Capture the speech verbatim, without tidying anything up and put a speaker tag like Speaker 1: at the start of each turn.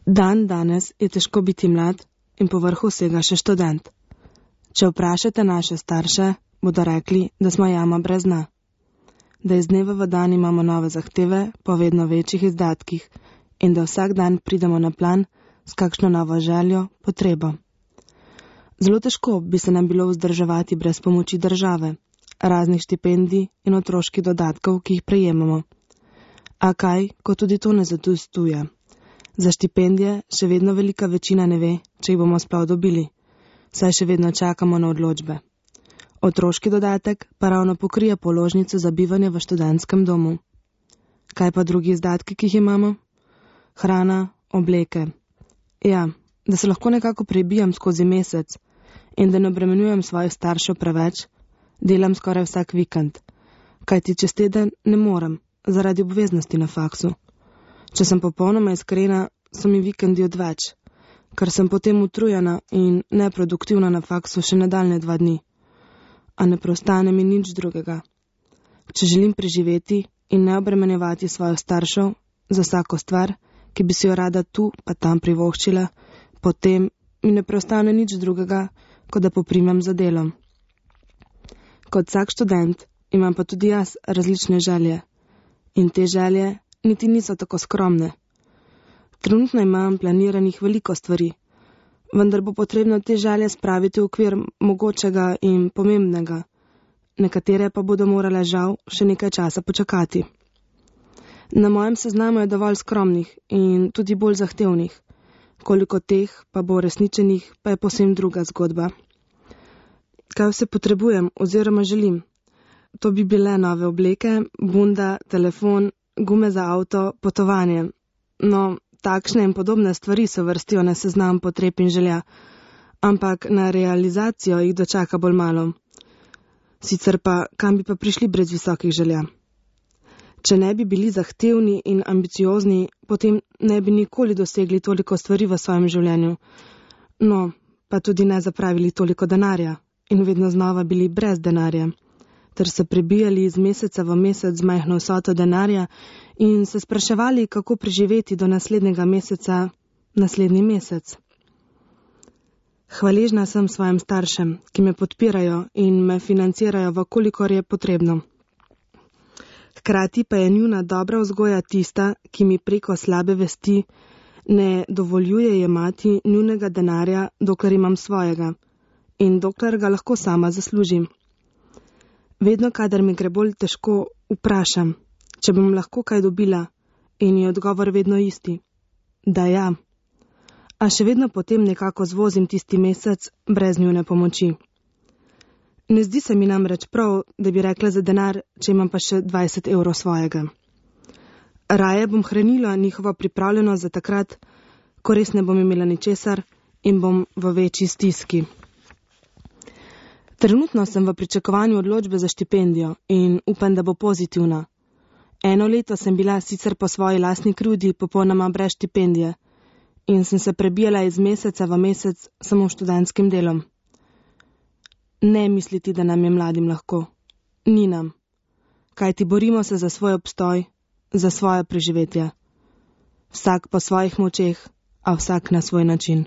Speaker 1: Dan danes je težko biti mlad in povrhu vsega še študent. Če vprašate naše starše, bodo rekli, da smo jama brez dna. Da iz dneva v dan imamo nove zahteve po vedno večjih izdatkih in da vsak dan pridemo na plan s kakšno novo željo, potrebo. Zelo težko bi se nam bilo vzdrževati brez pomoči države, raznih štipendij in otroških dodatkov, ki jih prejemamo. A kaj, ko tudi to ne zadostuje? Za štipendije še vedno velika večina ne ve, če jih bomo sploh dobili, saj še vedno čakamo na odločbe. Otroški dodatek pa ravno pokrije položnico za bivanje v študentskem domu. Kaj pa drugi izdatki, ki jih imamo? Hrana, obleke. Ja, da se lahko nekako prebijam skozi mesec in da ne obremenjujem svojih staršev preveč, delam skoraj vsak vikend, kajti čez teden ne morem, zaradi obveznosti na faksu. Če sem popolnoma iskrena, so mi vikendi odveč, ker sem potem utrujena in neproduktivna na faksu še nadaljne dva dni. A ne preostane mi nič drugega. Če želim preživeti in ne obremenjevati svojih staršev za vsako stvar, ki bi si jo rada tu pa tam privoščila, potem mi ne preostane nič drugega, kot da poprimem za delom. Kot vsak študent imam pa tudi jaz različne želje. In te želje niti niso tako skromne. Trenutno imam planiranih veliko stvari, vendar bo potrebno te želje spraviti v okvir mogočega in pomembnega. Nekatere pa bodo morale žal še nekaj časa počakati. Na mojem seznamu je dovolj skromnih in tudi bolj zahtevnih. Koliko teh pa bo resničenih, pa je povsem druga zgodba. Kaj vse potrebujem oziroma želim? To bi bile nove obleke, bunda, telefon, gume za avto, potovanje. No, takšne in podobne stvari se vrstijo na seznam potreb in želja, ampak na realizacijo jih dočaka bolj malo. Sicer pa, kam bi pa prišli brez visokih želja? Če ne bi bili zahtevni in ambiciozni, potem ne bi nikoli dosegli toliko stvari v svojem življenju. No, pa tudi ne zapravili toliko denarja in vedno znova bili brez denarja, ter se prebijali iz meseca v mesec z majhno vsoto denarja in se spraševali, kako preživeti do naslednjega meseca, naslednji mesec. Hvaležna sem svojim staršem, ki me podpirajo in me financirajo, v kolikor je potrebno. Hkrati pa je njuna dobra vzgoja tista, ki mi preko slabe vesti ne dovoljuje jemati njunega denarja, dokler imam svojega in dokler ga lahko sama zaslužim. Vedno, kadar mi gre bolj težko, vprašam, če bom lahko kaj dobila, in je odgovor vedno isti, da ja. A še vedno potem nekako zvozim tisti mesec brez njune pomoči. Ne zdi se mi namreč prav, da bi rekla za denar, če imam pa še dvajset evrov svojega. Raje bom hranila njihovo pripravljenost za takrat, ko res ne bom imela ničesar in bom v večji stiski. Trenutno sem v pričakovanju odločbe za štipendijo in upam, da bo pozitivna. Eno leto sem bila sicer po svoji lastni krivdi popolnoma brez štipendije in sem se prebijala iz meseca v mesec samo študentskim delom. Ne misliti, da nam je mladim lahko. Ni nam. Kajti borimo se za svoj obstoj, za svoje preživetje. Vsak po svojih močeh, a vsak na svoj način.